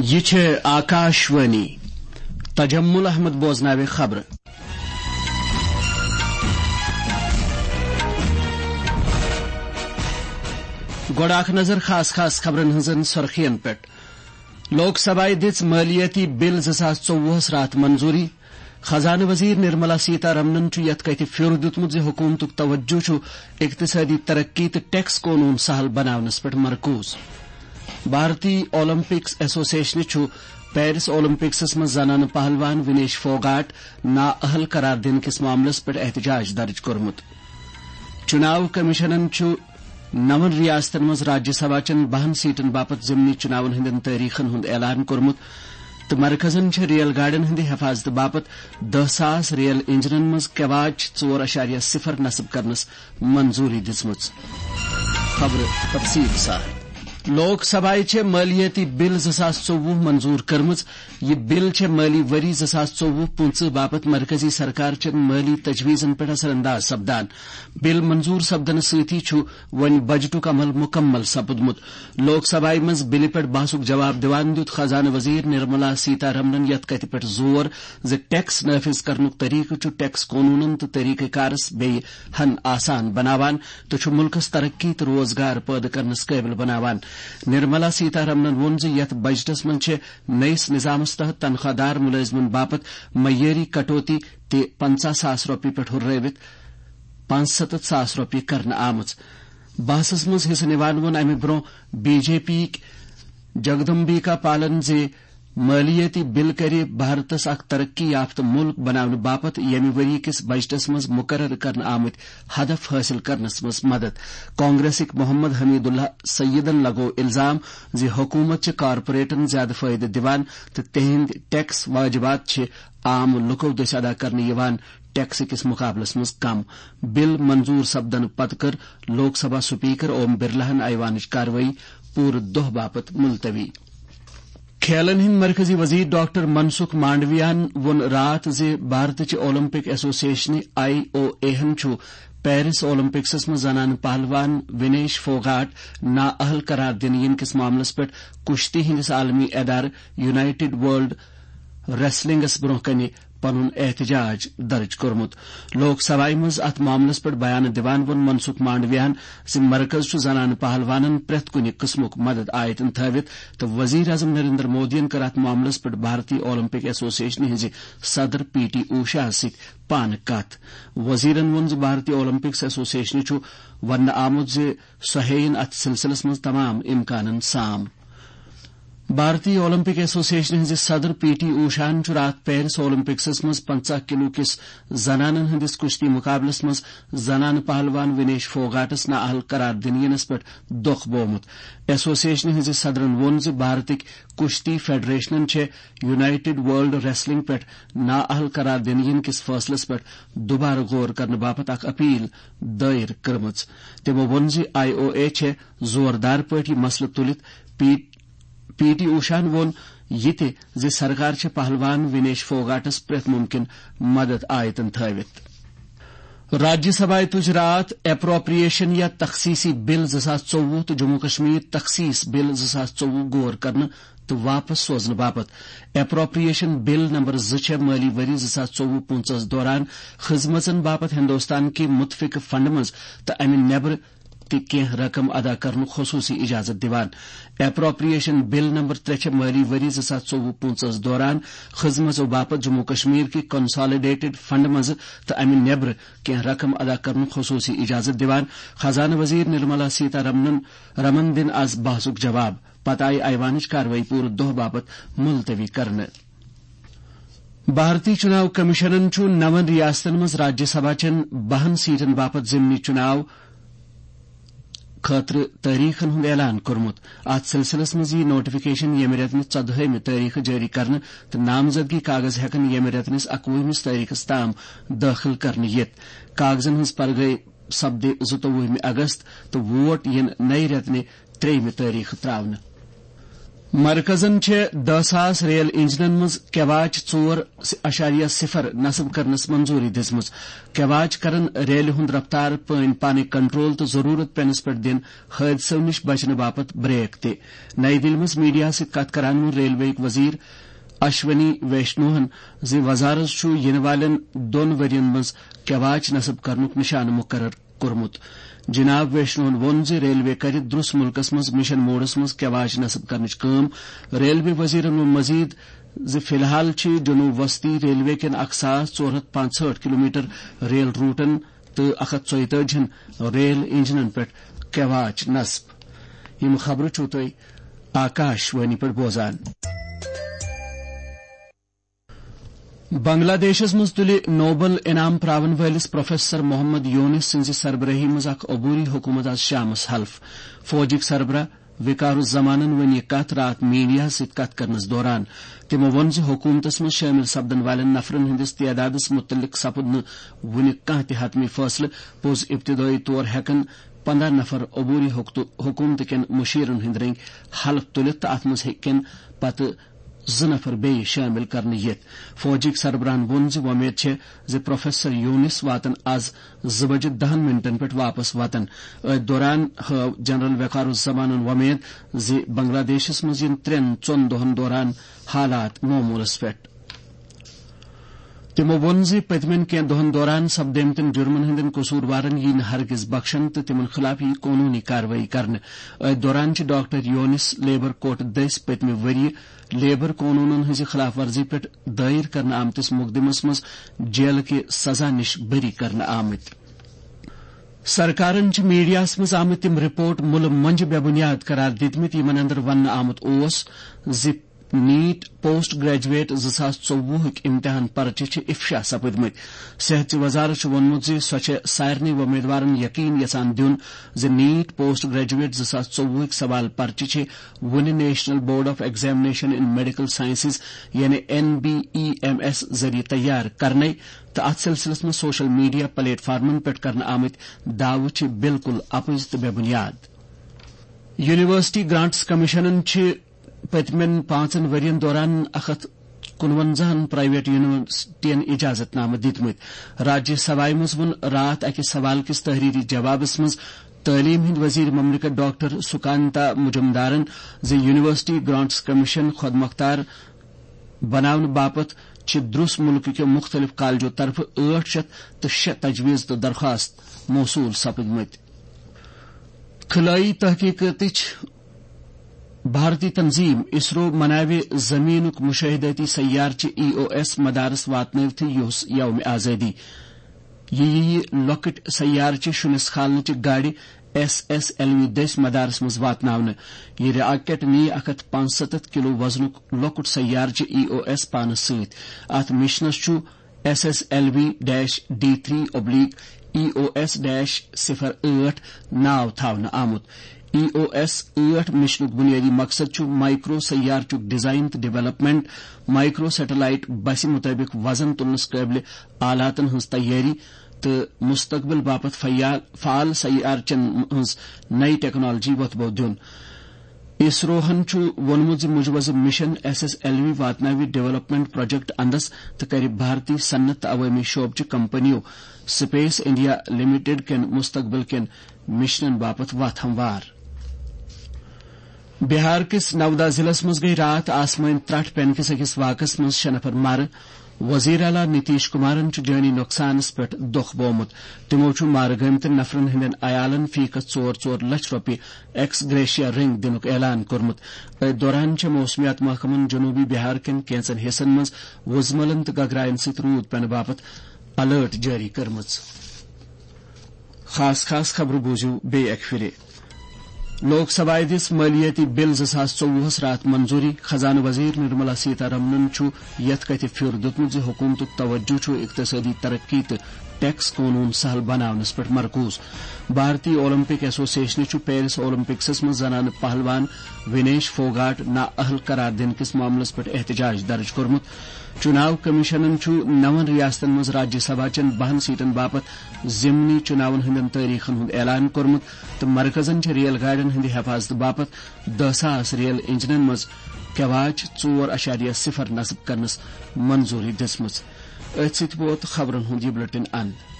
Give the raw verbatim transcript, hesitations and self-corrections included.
یہِ چھِ آکاشوانی۔ تجمل احمد بوزناوِ خبرٕ۔ گۄڈٕ اکھ نظر خاص خاص خبرن ہٕنٛزن سرخین پٮ۪ٹھ۔ لوک سبھایہ دِژ مٲلیٲتی بل زٕ ساس ژوٚوُہس راتھ منظوٗری۔ خزانہٕ وزیر نرملا سیتارمنن چھُ یَتھ کَتھِ پھیُر دیُتمُت زِ حکوٗمتُک توجہ چھُ اقتصٲدی ترقی تہٕ ٹیکس قونوٗن سہل بناونس پٮ۪ٹھ مرکوز۔ بھارتی اولمپکس ایسوسیشنہِ چھُ پیرس اولمپکسس منٛز زنانہٕ پہلوان ونیش فوگاٹ نااہل قرار دِنہٕ کِس معاملس پٮ۪ٹھ احتجاج درج کوٚرمُت۔ چُناو کمیشنن چھُ نَوَن ریاستن منٛز راجیہ سبھا چٮ۪ن بَہَن سیٹن باپتھ ضمنی چُناون ہٕنٛدٮ۪ن تٲریخن ہُنٛد اعلان کوٚرمُت تہٕ مرکزن چھِ ریل گاڑٮ۪ن ہٕنٛدِ حفاظتہٕ باپتھ دَہ ساس ریل انجنن منٛز کیواچ ژور اعشاریہ صفر نصب کرنس منظوٗری دِژمٕژ۔ خبرٕ تفصیٖل سان۔ لوک سبھایہ چھےٚ مٲلیٲتی بل زٕ ساس ژوٚوُہ منظوٗر کٔرمٕژ۔ یہِ بل چھےٚ مٲلی ؤری زٕ ساس ژوٚوُہ پٕنٛژٕہ باپتھ مرکزی سرکار چٮ۪ن مٲلی تجویزن پٮ۪ٹھ اثر انداز سپدان۔ بل منظوٗر سپدنہٕ سۭتی چھُ وۄنۍ بجٹُک عمل مُکمل سپُدمُت۔ لوک سبھایہ منٛز بلہِ پٮ۪ٹھ بحثُک جواب دِوان دیُت خزانہٕ وزیر نرملا سیتارمنن یَتھ کَتھِ پٮ۪ٹھ زور زِ ٹیکس نافذ کرنُک طریقہٕ چھُ ٹیکس قونوٗنن تہٕ طریقہٕ کارس بیٚیہِ ہن آسان بناوان تہٕ چھُ مُلکس ترقی تہٕ روزگار پٲدٕ کرنس قٲبِل بناوان۔ نرملا سیتارمنن ووٚن زِ یَتھ بجٹس منٛز چھِ نٔیِس نظامس تحت تنخواہ دار مُلٲزمن باپتھ معیٲری کٹوتی تہِ پنٛژاہ ساس رۄپیہِ پٮ۪ٹھ ہُررٲوِتھ پانٛژھ سَتَتھ ساس رۄپیہِ کرنہٕ آمٕژ۔ بحثس منٛز حصہٕ نِوان ووٚن امہِ برٛونٛہہ بی جے پی یِکۍ جگدمبیکا پالن زِ مٲلیٲتی بل کرِ بھارتس اکھ ترقی یافتہٕ مُلک بناونہٕ باپتھ ییٚمہِ ؤری کِس بجٹس منٛز مُقرر کرنہٕ آمٕتۍ ہدف حٲصِل کرنس منٛز مدد۔ کانگریسٕکۍ محمد حمید اللہ سیدن لگوو الزام زِ حکوٗمت چھِ کارپوریٹن زیادٕ فٲیدٕ دِوان تہٕ تِہنٛدۍ ٹیکس واجبات چھِ عام لُکو دٔسۍ ادا کرنہٕ یِوان ٹیکس کِس مُقابلس منٛز کم۔ بل منظوٗر سپدنہٕ پتہٕ کٔر لوک سبھا سپیکر اوم برلاہن ایوانٕچ کاروٲیی پوٗرٕ دۄہ باپتھ ملتوی۔ کھیلن ہٕنٛدۍ مرکزی وزیر ڈاکٹر منسکھ مانڈویاہن ووٚن راتھ زِ بھارتٕچہِ اولمپک ایسوسیشنہِ، آئی او اے ہن، چھُ پیرس اولمپکسس منٛز زنانہٕ پہلوان ونیش فوگاٹ نااہل قرار دِنہٕ یِنہٕ کِس معاملس پٮ۪ٹھ کُشتی ہٕنٛدِس عالمی ادارٕ یونائیٹڈ ورلڈ ریسلنگس برٛونٛہہ کنہِ پنُن احتجاج درج کوٚرمُت۔ لوک سبھایہ منٛز اتھ معاملس پٮ۪ٹھ بیان دِوان ووٚن منسکھ مانڈویاہن زِ مرکز چھُ زنانہٕ پہلوانن پرٛٮ۪تھ کُنہِ قٕسمُک مدد آیتن تھٲوِتھ تہٕ وزیر اعظم نریندر مودیَن کٔر اتھ معاملس پٮ۪ٹھ بھارتی اولمپک ایسوسیشنہِ ہٕنٛزِ صدر پی ٹی اوشاہَس سۭتۍ پانہٕ کتھ۔ وزیرن ووٚن زِ بھارتی اولمپکس ایسوسیشنہِ چھُ وننہٕ آمُت زِ سۄ ہیٚیِن اتھ سلسلس منٛز تمام امکانن سام۔ بھارتی اولمپک ایسوسیشن ہٕنٛزِ صدر پی ٹی اوشاہن چھُ راتھ پیرس اولمپکسس منٛز پنٛژاہ کلو کِس زنانن ہٕنٛدِس کُشتی مُقابلس منٛز زنانہٕ پہلوان ونیش فوگاٹس نااہل قرار دِنہٕ یِنس پٮ۪ٹھ دۄکھ بوومُت۔ ایسوسیشنہِ ہٕنٛزِ صدرن ووٚن زِ بھارتٕکۍ کُشتی فیڈریشنن چھےٚ یونائیٹڈ ورلڈ ریسلنگ پٮ۪ٹھ نااہل قرار دِنہٕ یِنہٕ کِس فٲصلس پٮ۪ٹھ دُبارٕ غور کرنہٕ باپتھ اکھ اپیل دٲیر کٔرمٕژ۔ تِمو ووٚن زِ آئی او اے چھےٚ زوردار پٲٹھۍ یہِ مسلہٕ تُلِتھ پی پی ٹی اوشاہن ووٚن یہِ تہِ زِ سرکار چھےٚ پہلوان ونیش فوگاٹس پرٛٮ۪تھ مُمکِن مدد آیتن تھٲوِتھ۔ راجیہ سبھایہ تُج راتھ اپروپریشن یا تخصیصی بل زٕ ساس ژوٚوُہ تہٕ جموں کشمیر تخصیص بل زٕ ساس ژوٚوُہ غور کرنہٕ تہٕ واپس سوزنہٕ باپتھ۔ اپروپریشن بل نمبر زٕ چھےٚ مٲلی ؤری زٕ ساس ژوٚوُہ پٕنٛژٕہس دوران خدمژن باپتھ ہندوستان کہِ متفقہٕ فنڈ منٛز تہٕ امہِ نیبرٕ تہِ کینٛہہ رقم ادا کرنُک خصوٗصی اجازت دِوان۔ اپروپریشن بل نمبر ترٛےٚ چھےٚ مٲلی ؤری زٕ ساس ژوٚوُہ پٕنٛژٕہس دوران خدمژو باپتھ جموں کشمیر کہِ کنسالیڈیٹڈ فنڈ منٛزٕ تہٕ امہِ نیبرٕ کینٛہہ رقم ادا کرنُک خصوٗصی اجازت دِوان۔ خزانہٕ وزیر نرملا سیتارمنن رمن دِن از بحثُک جواب۔ پتہٕ آیہِ ایوانٕچ کاروٲیی پوٗرٕ دۄہ باپتھ ملتوی کرنہٕ۔ بھارتی چُناو کمیشنن چھُ نَوَن ریاستن منٛز راجیہ سبھا چٮ۪ن بَہَن سیٹن باپتھ ضمنی چُناو خٲطرٕ تٲریخن ہُنٛد اعلان کوٚرمُت۔ اتھ سلسلس منٛز یِیہِ نوٹیفکیشن ییٚمہِ رٮ۪تہٕ نہِ ژۄدہٲیمہِ تٲریخہٕ جٲری کرنہٕ تہٕ نامزدگی کاغذ ہٮ۪کن ییٚمہِ رٮ۪تہٕ نِس اَکوُہمِس تٲریخس تام دٲخل کرنہٕ یِتھ۔ کاغذن ہٕنٛز پرگٔے سپدِ زٕتووُہمہِ اگست تہٕ ووٹ یِن نَیہِ رٮ۪تہٕ نہِ ترٛیٚیِمہِ تٲریخہٕ ترٛاونہٕ۔ مرکزن چھےٚ دہ ساس ریل انجنن منٛز کیواچ ژور اعشاریہ صفر نصب کرنس منظوری دِژمٕژ۔ کیواچ کرن ریلہِ ہُنٛد رفتار پٲنۍ پانے کنٹرول تہٕ ضروٗرت پینس پٮ۪ٹھ دِن حٲدثو نِش بچنہٕ باپتھ بریک تہِ۔ نئی دِلہِ منٛز میڈیاہس سۭتۍ کتھ کران ووٚن ریلوے وزیر اشونی ویشنوہن زِ وزارت چھُ یِنہٕ والٮ۪ن دۄن ؤرین منٛز کیواچ نصب کرنُک نشانہٕ مقرر کوٚرمُت۔ جناب ویشنوہن ووٚن زِ ریلوے کرِ درٛس مُلکس منٛز مشن موڈس منٛز کیواچ نصب کرنٕچ کٲم۔ ریلوے وزیرن ووٚن مزید زِ فی الحال چھِ جنوب وسطی ریلوے کٮ۪ن اکھ ساس ژور ہتھ پانٛژہٲٹھ کلومیٹر ریل روٹن تہٕ اکھ ہتھ ژۄیتٲجی ہن ریل انجنن پٮ۪ٹھ کیواچ نصب۔ یِم خبرٕ چھِو تُہۍ آکاش وانی پٮ۪ٹھ بوزان۔ بنگلہ دیشس منٛز تُلہِ نوبل انعام پراون وٲلِس پروفیسر محمد یونس سٕنٛزِ سربرٲہی منٛز اکھ عبوری حکومت از شامس حلف۔ فوجٕکۍ سربراہ وقار الزمانن ؤنۍ یہِ کتھ راتھ میڈیاہس سۭتۍ کتھ کرنس دوران۔ تِمو ووٚن زِ حکومتس منٛز شٲمِل سپدن والٮ۪ن نفرن ہٕنٛدِس تعدادس مُتعلق سپُد نہٕ وُنہِ کانٛہہ تہِ حتمی فٲصلہٕ۔ پوٚز ابتدٲیی طور ہٮ۪کن پنداہ نفر عبوری حکتہٕ-، حکومتہٕ کٮ۪ن مُشیرن ہٕنٛدۍ رٔنگۍ حلف تُلِتھ تہٕ اتھ منٛز ہیٚکن پتہٕ زٕ نفر بیٚیہِ شٲمِل کرنہٕ یِتھ۔ فوجٕکۍ سربراہن ووٚن زِ وۄمید چھےٚ زِ پروفیسر یونس واتن از زٕ بجہِ دہن منٹن پٮ۪ٹھ واپس وطن۔ أتھۍ دوران ہٲو جنرل وقار الزمانن وۄمید زِ بنگلہ دیشس منٛز یِن ترٛٮ۪ن ژۄن دۄہن دوران حالات معمولس پٮ۪ٹھ۔ تِمو ووٚن زِ پٔتمٮ۪ن کینٛہہ دۄہن دوران سپدیمتٮ۪ن جُرمن ہٕنٛدٮ۪ن قصوٗروارن یِیہِ نہٕ ہرگز بخشنہٕ تہٕ تِمن خلاف یِیہِ قونوٗنی کاروٲیی کرنہٕ۔ أتھۍ دوران چھِ ڈاکٹر یونس لیبر کورٹ دٔسۍ پٔتمہِ ؤرۍ یہِ لیبر قونوٗنن ہٕنٛزِ خلاف ورزی پٮ۪ٹھ دٲیر کرنہٕ آمتِس مقدمس منٛز جیلہٕ کہِ سزا نِش بری کرنہٕ آمٕتۍ۔ سرکارن چھِ میڈیاہس منٛز آمٕتۍ تِم رپورٹ مُلہٕ مۄنجہِ بے بُنیاد قرار دِتمٕتۍ، یِمن اندر وننہٕ آمُت اوس زِ نیٹ پوسٹ گریجویٹ زٕ ساس ژوٚوُہٕکۍ امتحان پرچہِ چھِ افشا سپٕدمٕتۍ۔ صحت چہِ وزارت چھُ ووٚنمُت زِ سۄ چھےٚ سارنٕے وۄمیدوارن یقین یژھان دیُن زِ نیٹ پوسٹ گریجویٹ زٕ ساس ژوٚوُہٕکۍ سوال پرچہِ چھِ وُنہِ national board of examination in medical sciences, یعنی N B E M S ذٔریعہٕ تیار کرنَے، تہٕ اتھ سلسلس منٛز سوشل میڈیا پلیٹ فارمن پٮ۪ٹھ کرنہٕ آمٕتۍ دعوٕ چھِ بالکل اپٕز تہٕ بے بُنیاد۔ یونیورسٹی گرانٹس کمیشنن چھِ پٔتمٮ۪ن پانٛژن ؤرین دوران اکھ ہتھ کُنونزاہن پرائیویٹ یونیورسٹین اجازت نامہٕ دِتمٕتۍ۔ راجیہ سبھایہ منٛز ووٚن راتھ اکہِ سوال کِس تحریری جوابس منٛز تعلیٖم ہٕنٛدۍ وزیر مملکت ڈاکٹر سکانتا مجمدارن زِ یونیورسٹی گرانٹس کمیشن خۄد مۄختار بناونہٕ باپتھ چھِ درٛس مُلکہٕ کیو مُختٔلِف کالجو طرفہٕ ٲٹھ شیٚتھ تہٕ شےٚ تجویز تہٕ درخواست موصوٗل سپٕدمٕتۍ۔ خلٲیی تحقیقاتٕچ بھارتی تنظیم اسرو مناوِ زمینُک مشاہدٲتی سیارچہِ ای او ایس مدارس واتنٲوتھٕے یُس یوم آزادی۔ یہِ یِیہِ لۄکٕٹۍ سیارچہِ شُنِس کھالنٕچہِ گاڑِ ایس ایس ایل وی دٔسۍ مدارس منٛز واتناونہٕ۔ یہِ راکٹ نِیہِ اکھ ہتھ پانٛژستتھ کلو وزنُک لۄکُٹ سیارچہِ ای او ایس پانس سۭتۍ۔ اتھ مشنس چھُ S S L V dash D three oblique E O S dash صفر ٲٹھ ناو تھاونہٕ آمُت۔ ای او ایس ٲٹھ مشنُک بنیٲدی مقصد چھُ مائیکرو سیارچُک ڈیزائن تہٕ ڈیولپمنٹ، مائیکرو سیٹلائٹ بسہِ مطٲبق وزن تُلنس قٲبلِ آلاتن ہٕنٛز تیٲری تہٕ مستقبل باپتھ فیال-، فعال سیارچن ہٕنٛز نئی ٹیکنالوجی وۄتھبو دیُن۔ اسروہن چھُ ووٚنمُت زِ مجوزٕ mission S S L V واتناوِ ڈیولپمنٹ پروجیکٹ اندس تہٕ کرِ بھارتی صنعت تہٕ عوٲمی شعبہٕ چہِ کمپنیو سپیس انڈیا لمیٹڈ کٮ۪ن مستقبل کٮ۪ن مشنن باپتھ وتھ ہموار۔ بہار کِس نودا ضلعس منٛز گٔیہِ راتھ آسمٲنۍ ترٛٹھ پینہٕ کِس أکِس واقعس منٛز شےٚ نفر مارٕ۔ وزیر اعلیٰ نتیش کمارن چھُ جٲنی نۄقصانس پٮ۪ٹھ دۄکھ بوومُت۔ تِمو چھُ مارٕ گٔمتٮ۪ن نفرن ہٕنٛدٮ۪ن عیالن فی کس ژور ژور لچھ رۄپیہِ ایکس گریشیا رٔنگۍ دِنُک اعلان کوٚرمُت۔ أتھۍ دوران چھےٚ موسمیات محکمن جنوبی بہار کٮ۪ن کینٛژن حصن منٛز وُزملن تہٕ گگراین سۭتۍ روٗد پینہٕ باپتھ الرٹ جٲری کٔرمٕژ۔ خاص خاص خبرٕ بوٗزِو بیٚیہِ اکہِ پھِرِ۔ لوک سبھایہ دِژ مٲلیٲتی بل زٕ ساس ژوٚوُہس راتھ منظوٗری۔ خزانہٕ وزیر نرملا سیتارمنن چھُ یَتھ کَتھِ پھیُر دیُتمُت زِ حکوٗمتُک توجہ چھُ اقتصٲدی ترقی تہٕ ٹیکس قونوٗن سہل بناونس پٮ۪ٹھ مرکوز۔ بھارتی اولمپک ایسوسیشنہِ چھُ پیرس اولمپکسس منٛز زنانہٕ پہلوان وینیش فوگاٹ نااہل قرار دِنہٕ کِس معاملس پٮ۪ٹھ احتجاج درج کوٚرمُت۔ چُناو کمیشنن چھُ نَوَن ریاستن منٛز راجیہ سبھا چٮ۪ن بَہَن سیٹن باپتھ ضمنی چُناون ہٕنٛدٮ۪ن تٲریخن ہُنٛد اعلان کوٚرمُت تہٕ مرکزن چھِ ریل گاڑٮ۪ن ہٕنٛدِ حفاظتہٕ باپتھ دَہ ساس ریل انجنن منٛز کیواچ ژور اعشاریہ صفر نصب کرنس منظوٗری دِژمٕژ۔ أتھۍ سۭتۍ ووت خبرن ہُنٛد یہِ بلیٹن اند۔